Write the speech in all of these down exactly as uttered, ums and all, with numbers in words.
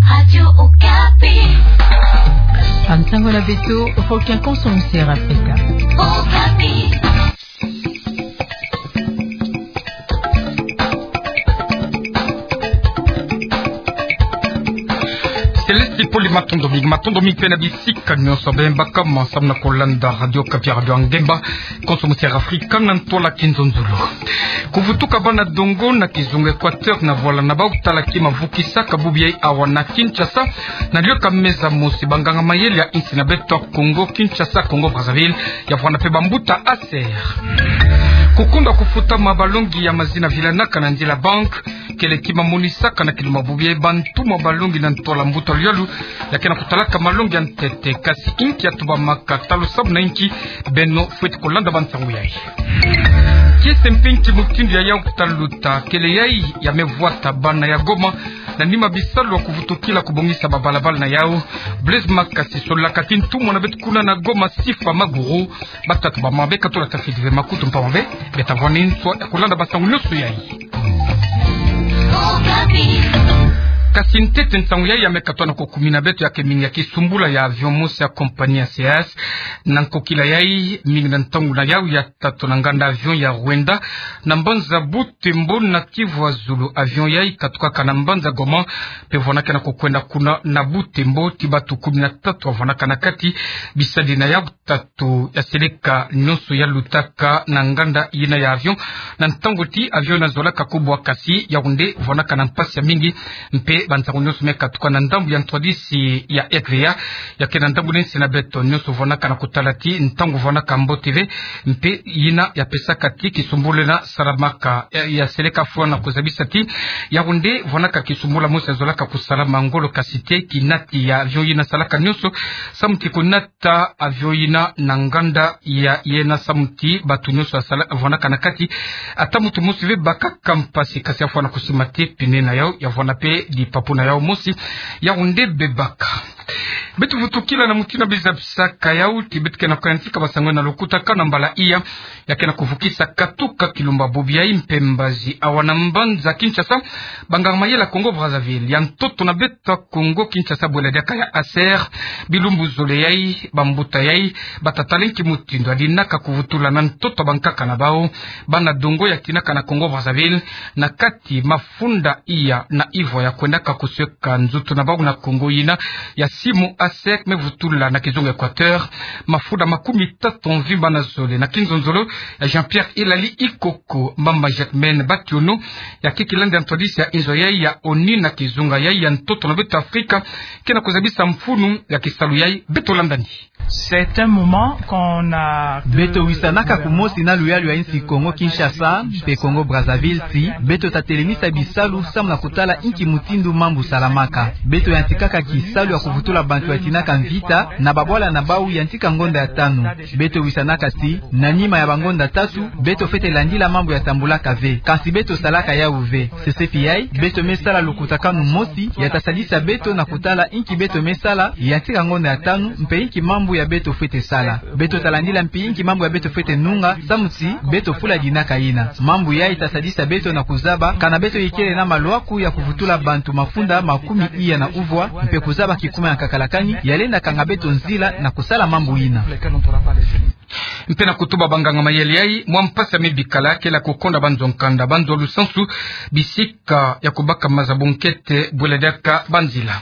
Radio Okapi. Bansango na beto, Requiem Consommusaire Africa. Okapi. Céleste Poli, matondo mingi, matondo mingi mpe na bisika nyonso beno baka ma samu na kolanda Radio Okapi, radio ya ngemba, Consommusaire Africa na ntwala kinzonzolo. Kuvutuka bana dongo na kizunga Equateur na vwala na bau talaki mavukisaka bubu yai awa na Kinshasa, na liyeka meza mosi banganga mayele ya insi na beto ya Congo Kinshasa, Congo Brazzaville, ya vwanda mpe bambuta ACER. Kukunda kufutama balongi ya mazina vilanaka na nzila banque, kele kima monisaka na kilumbu bubu yai bantu mwa balongi na ntwala mbuta lulendo, ya ke na kutalaka malongi ya ntete, kasi inki ya tubamaka talo samu na inki? Beno fweti kolanda bansango yai. Kiese mpe inki mutindu ya yau taluta kele yai ya me vwata bana ya Goma, na nima bisalu ya kuvutukila kubongisa babalabala na yau. Blaise Makasi, solaka ti ntumwa na beto kuna na Goma, Sifa Maguru, batatu ba mabe katula tafidi ve makutu mpamba ve, beta vwani nswa ya kolanda bansango nyonso yai. Kasi ntete nsango yai ya me katoa na kokumina beto ya ke mingi ya kisumbula ya avion mosi ya compagnie ya C A S na nkokila yai mingi na ntangu na yau ya tatu na nganda avion ya Rwanda na mbanza Butembo na Kivu ya Zulu. Avion yai katukaka na mbanza Goma, mpe vwandaka na kokwenda kuna na Butembo, ti batu kumi na tatu bavwandaka na kati, bisadi na yau tatu ya seleka nyonso ya lutaka na nganda yina ya avion. Na ntangu ti avion yina zolaka kubwa, kasi yau nde vwandaka na mpasi ya mingi, mpe bansango nyonso me katuka na ndambu ya ntwadisi ya R V A, ya ke na ndambu na insi na beto, nyonso vwandaka na kutala ti ntangu vwandaka mbote ve, mpe yina ya pesaka ti kisumbula yina salamaka, ya, ya seleka fwana kuzabisa ti yau nde vwandaka kisumbula mosi ya zolaka kusalama ngolo, kasi te kinati ya avion yina salaka nyonso samu ti kunata avion yina na nganda ya yena, samu ti batu nyonso ya sala, vwandaka na kati, ata muntu mosi ve bakaka mpasi, kasi ya fwana kusima ti pneu na yau ya vwanda mpe dipapu na yau mosi, yau nde bebaka. Beto vutukila na mutindu ya bizabisaka yau ti beto ke na kuyantika bansango na lukutakanu na mbala iya ya ke na kuvukisa katuka kilumbu bubu yai mpe mbazi awa na mbanza Kinshasa. Banganga mayele ya Congo Brazzaville, ya ntoto na beto ya Congo Kinshasa, bwela diaka ya ACER, bilumbu zole yai, bambuta yai bata tala inki mutindu ya dinaka kuvutula na ntoto ya bankaka na bau, bana dongo ya tinaka na Congo Brazzaville, na kati mafunda iya na ivwa ya kwendaka kusweka nzutu na bau na Congo yina ya simu. ACER me vutula na kizunga Equateur mafunda makumi tatu mvimba na zole, na kinzonzolo ya Jean-Pierre Elali Ikoko, mama Jacquemaine Bationo, ya ke kilandi ya ntwadisi ya inzo yai ya ONU na kizunga yai ya ntoto na beto Afrika, ke na kuzabisa mfunu ya kisalu yai. Beto landani. C'est un moment qu'on a... Beto wisanaka kumosi na luyalu ya insi Congo Kinshasa mpe Congo Brazzaville, ti beto ta telemisa bisalu samu na kutala inki mutindu mambu salamaka. Beto yantikaka kisalu ya kuvutula bantu ya tinaka mvita na babwala na bau yantika ngonda ya tanu. Beto wisanaka ti na nima ya bangonda tatu, beto fwete landila mambu ya tambulaka ve. Kasi beto salaka yau ve. Sesepi yai, beto me sala lukutakanu mosi ya ta sadisa beto na kutala inki beto me sala yantika ngonda ya tanu, mpe inki mambu ya beto fwete sala. Beto ta landila mpi inki mambu ya beto fwete nunga, samu ti beto fula dinaka yina. Mambu yai ta sadisa beto na kuzaba kana beto ikele na malwaku ya kuvutula bantu mafunda makumi iya na uvwa, mpe kuzaba kikuma ya nkakalakani ya lenda kanga beto nzila na kusala mambu yina. Mpe na kutuba banganga mayele yai, mwa mpasi ya me bikala kele ya kukonda banzo nkanda, banzo lusansu, bisika ya kubaka maza bunkete, bwela diaka banzila.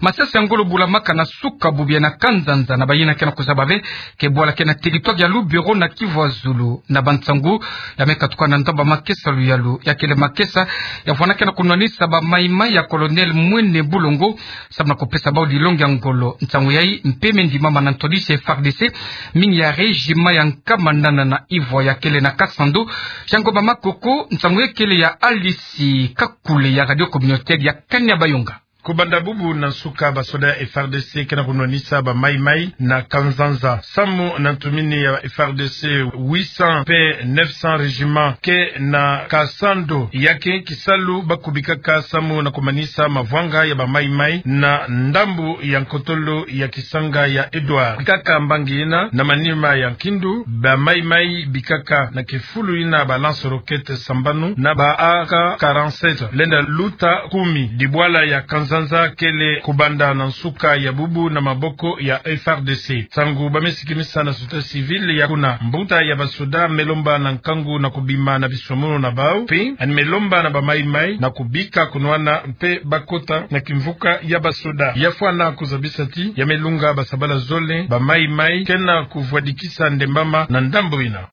Masasi ya ngolo bulamaka na suka bubu yai na Kanzanza, na bayina ke na kuzaba ve ke bwala ke na territoire ya Lubero na Kivu ya Zulu, na bansangu ya me katuka na ndambu ya makesa luyalu, ya kele makesa ya vwandaka na kunwanisa ba maimai ya Colonel Mwene Bulongo, samu na kupesa bau dilongi ya ngolo. Nsangu yai mpe me ndimama na ntwadisi ya F A R D C, mingi ya régiment ya nkama nana na ivwa ya kele na Kasando. Fiango ba makoko, nsangu yai kele ya Alice Kakule ya Radio Communautaire ya Kanya Bayonga. Kubanda bubu na nsuka, basoda ya F A R D C ke na kunwanisa ba maimai na Kanzanza. Samu na ntumini ya F A R D C, huit cents mpe neuf cents régiments ke na Kasando, ya ke kisalu ba kubikaka samu na kumanisa mavwanga ya ba maimai na ndambu ya nkotolo ya kisanga ya Edouard. Bikaka mbangi yina na manima ya nkindu, ba maimai bikaka na kifulu yina ba lance-roquettes sambanu na ba A K quarante-sept lenda luta kumi. Dibwala ya Kanzanza Sanza kele kubanda na nsuka ya bubu na maboko ya F R D C. Ntangu ba me sikimisa na société civile ya kuna, mbuta ya basoda me lomba na nkangu na kubima na bisomunu na bau, mpe yandi me lomba na ba Mai-Mai na kubika kunwana mpe bakota na kimvuka ya basoda. Ya fwana kuzabisa ti ya me lunga basabala zole, ba Mai-Mai ke na kuvwadikisa ndembama na ndambu yina.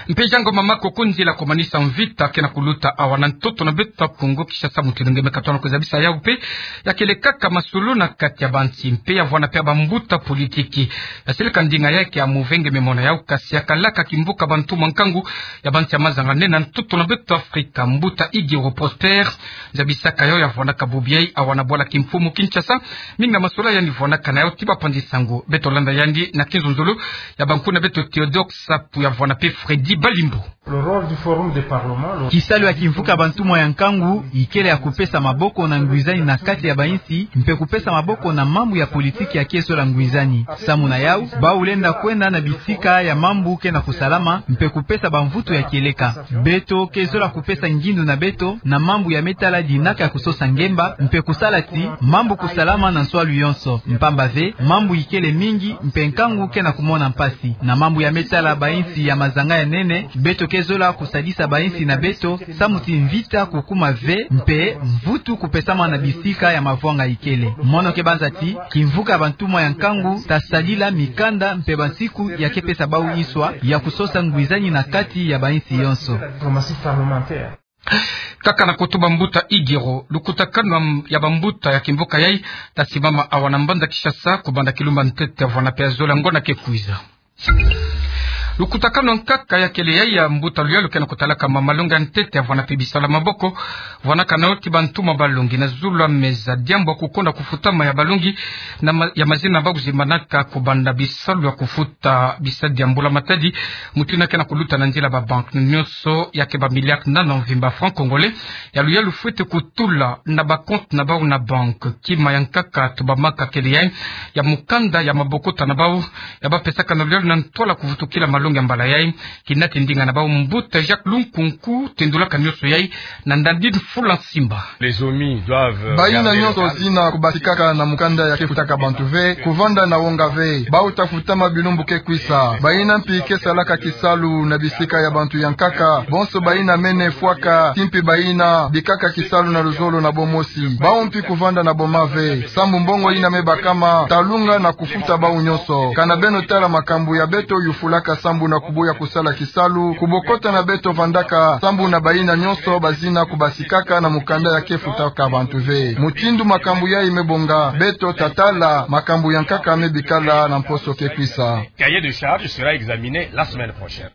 Mpe jango mama koko nzila kumanisa mvita ke na kuluta awa na ntoto na beto Kongo Kinshasa, mutindu nge me katona kuzabisa yau mpe ya kele kaka masolo na kati ya bansi mpe ya vwana mpe ya bambuta politiki. Ya seleka ndinga yake ya move nge me mona yau, kasi ya kalaka kimvuka bantumwa nkangu ya bansi ya mazanga nene na ntoto na beto Afrika, mbuta Igiro Prosper, zabisaka yau ya vwanaka bubu yai awa na bwala kimfumu Kinshasa. Mingi na masolo yandi vwanaka na yau ti bapanzi sango. Beto landa yandi na kinzonzolo ya bankuna beto Théodore Sapu ya vwana mpe Freddy Balimbo. Le rôle du Forum des Parlements, le Kisalu ya kimvuka bantumwa ya nkangu ikele ya kupesa maboko na ngwizani na kati ya bainsi, mpe kupesa maboko na mambu ya politiki ya ke zola ngwizani. Samu na yau, bau lenda kwenda na bisika ya mambu ke na kusalama, mpe kupesa bamvutu ya kieleka. Beto ke zola kupesa ngindu na beto na mambu ya me tala dinaka ya kusosa ngemba, mpe kusala ti mambu kusalama na nswalu yonso. Mpamba ve, mambu ikele mingi, mpe nkangu ke na kumona mpasi. Na mambu ya me tala bainsi ya mazanga ya nene, beto ke zola kusadisa bainsi na beto, samu ti mvita kukuma ve, mpe mvutu kupesama na bisika ya mavwanga ikele. Mono ke banza ti kimvuka bantumwa ya nkangu ta sadila mikanda mpe bansiku ya ke pesa bau nswa ya kusosa ngwizani na kati ya bainsi yonso. Kaka na koto bambuta Igiro, lukutakanu ya bambuta ya kimvuka yai ta simama awa na mbanza Kinshasa, kubanda kilumba ntete vwana mpe ya zola ngonda ke kwiza. Lukutakanu ya nkaka ya kele yai ya mbuta luyalu ke na kutalaka ma malongi ya ntete ya vwana mpe bisalu ya maboko, vwanaka na yau ti bantumwa balongi na zulu ya meza, diambu ya kukonda kufutama ya balongi na ma-, ya mazina ba kuzimbanaka kubanda bisalu ya kufuta bisadi ya mbula matadi, mutindu yina ke na kuluta na nzila ba banque nyonso ya ke ba milliards nana mvimba francs congolais, ya luyalu fwete kutula na ba comptes na bau na banque. Kima ya nkaka tubamaka kele yai ya mukanda ya mabokota na bau, ya bapesaka na luyalu na ntwala kuvutukila malongi ya mbala yai. Kinate ndinga na bau mbuta Jacques Lunkunku, tendulaka nyonso yai na ndandini fula nsimba. Les OMI doivent, euh, baina nyonso zina kubatikaka na mukanda ya ke futaka bantu ve, kuvanda na wonga ve. Bau ta futama bilumbu ke kwisa. Baina mpi ke salaka kisalu na bisika ya bantu ya nkaka. Bonso baina mene fwaka, ti mpi baina bikaka kisalu na luzolo na bomosi. Bau mpi kuvanda na boma ve. Sambu mbongo ina me bakama, ta lunga na kufuta bau nyonso. Kana beno tala makambu ya beto yufulaka sambu na kuboya kusala kisalu, kubokota na beto vandaka, sambu na baina nyonso bazina kubasikaka na mukanda ya ke futaka bantu ve. Mutindu makambu yai me bonga, beto ta tala makambu ya nkaka me bikala na mposo ke kwisa. Cahier de charge sera examiné la semaine prochaine.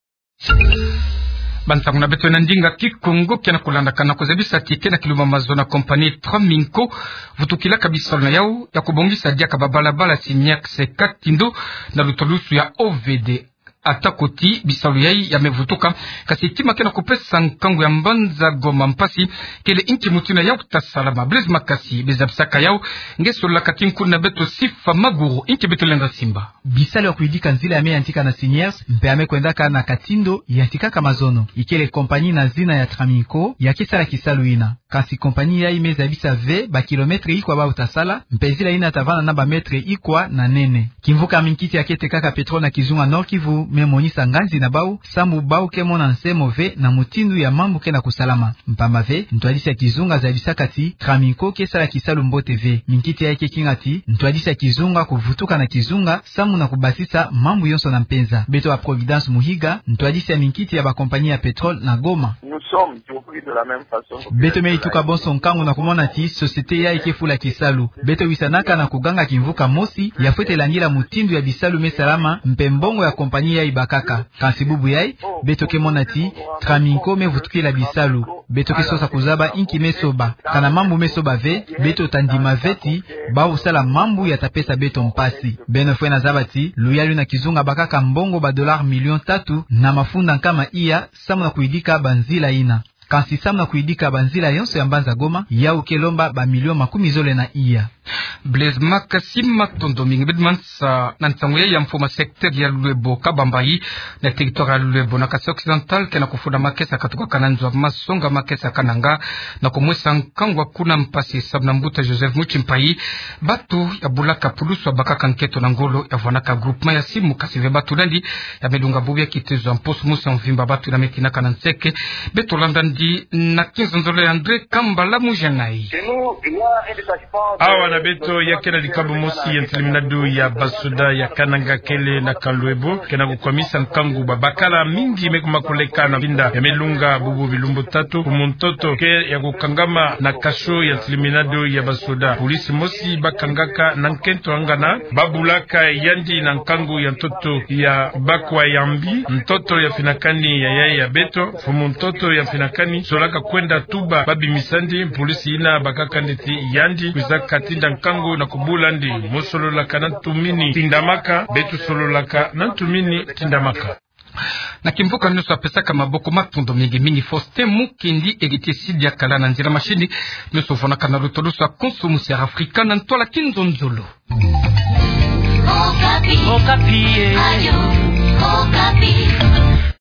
Bansangu na beto na ndinga Kikongo ke na kulandaka na kuzabisa ti ke na kilumba mazono compagnie Traminco vutukilaka bisalu na yau ya kubongisa diaka ba balabala Signac Katindo na lutalusu ya O V D. Atako ti bisalu yai ya me vutuka, kasi kima ke na kupesa nkangu ya mbanza Goma mpasi kele inki mutindu yau ta salama. Blaise Makasi, be zabisaka yau, nge sololaka ti nkuna beto Sifa Maguru, inki beto lenda simba. Bisalu ya kuyidika nzila ya me yantika na Signac, mpe ya me kwendaka na Katindo, yantikaka mazono. Ikele compagnie na zina ya Traminco ya ke sala kisalu ina. Kasi compagnie yai me zabisa ve ba kilomètre ikwa bau ta sala, mpe nzila ina ta vanda na ba mètre ikwa na nene. Kimvuka minkiti ya ke tekaka pétrole na kizunga Nord-Kivu me monisa nganzi na bau, sambu bau ke mona nsemo ve na mutindu ya mambu ke na kusalama. Mpamba ve, ntwadisi ya kizunga zabisaka ti Traminco ke sala kisalu mbote ve. Minkiti yai ke kinga ti ntwadisi ya kizunga kuvutuka na kizunga, sambu na kubasisa mambu yonso na mpenza. Beto wa Providence Muhiga, ntwadisi ya minkiti ya ba compagnie ya pétrole na Goma. Beto me yituka bonso nkangu na kumona ti société yai ke fula kisalu. Beto wisanaka na kuganga kimvuka mosi ya fwete landila mutindu ya bisalu me salama mpe mbongo ya compagnie yai bakaka. Kasi bubu yai, beto ke mona ti Traminco me vutukila bisalu. Beto ke sosa kuzaba inki me soba. Kana mambu me soba ve, beto ta ndima ve ti bau sala mambu ya ta pesa beto mpasi. Beno fwena zaba ti luyalu na kizunga bakaka mbongo ba dollars millions tatu na mafunda nkama iya, sambu na kuyidika ba nzila ina. Kasi sambu na kuyidika ba nzila yonso ya mbanza Goma, yau ke lomba ba millions makumi zole na iya. Blaise Makasi, matondo mingi. Bed mansa na ntangu ya mfumu wa secteur ya Luebo Kabambayi, na territoire ya Luebo na Kasaï Occidental, kena kufuna makesa katukaka na nzo wa masonga makesa kananga, na kumwesa nkangu kuna mpasi sababu na mbuta Joseph Muchi Mpayi. Batu ya bulaka pulusu wa bakaka nkento na ngolo ya vwanaka groupement ya Simu, kasi ve batu landi ya melunga bubu ya kitezo mposo mosi ya mvimba, batu na metinaka na nseke. Beto landa ndi na kinzonzolo ya André Kambala Mujangai. Awa na beto ya kena dikabu mosi ya ntiliminado ya basoda ya kananga kele na Luebo, kena kukwamisa nkangu. Babakala mingi me kuma koleka na binda ya melunga bubu bilumbu tatu. Mfumu ntoto ke ya kukangama na kasho ya ntiliminado ya basoda. Polisi mosi bakangaka na nkento angana, babulaka yandi na nkangu ya ntoto ya bakwa ya mbi, ntoto ya mfinakani ya yaya ya beto. Mfumu ntoto ya mfinakani solaka kwenda tuba babimisandi. Polisi ina bakaka nde ti yandi kwiza katinda nkangu na kubula nde: Mo sololaka na ntumini, tindamaka. Beto sololaka na ntumini, tindamaka. Na kimvuka nyonso apesaka maboko, matondo mingi mingi. Faustin Mukendi, Heritier Sidi akala na nzila, machine nyonso vwanaka na lutulusu ya konso mosi ya Afrika na ntwala kinzonzolo. Okapi. Okapi, eh. Ayo.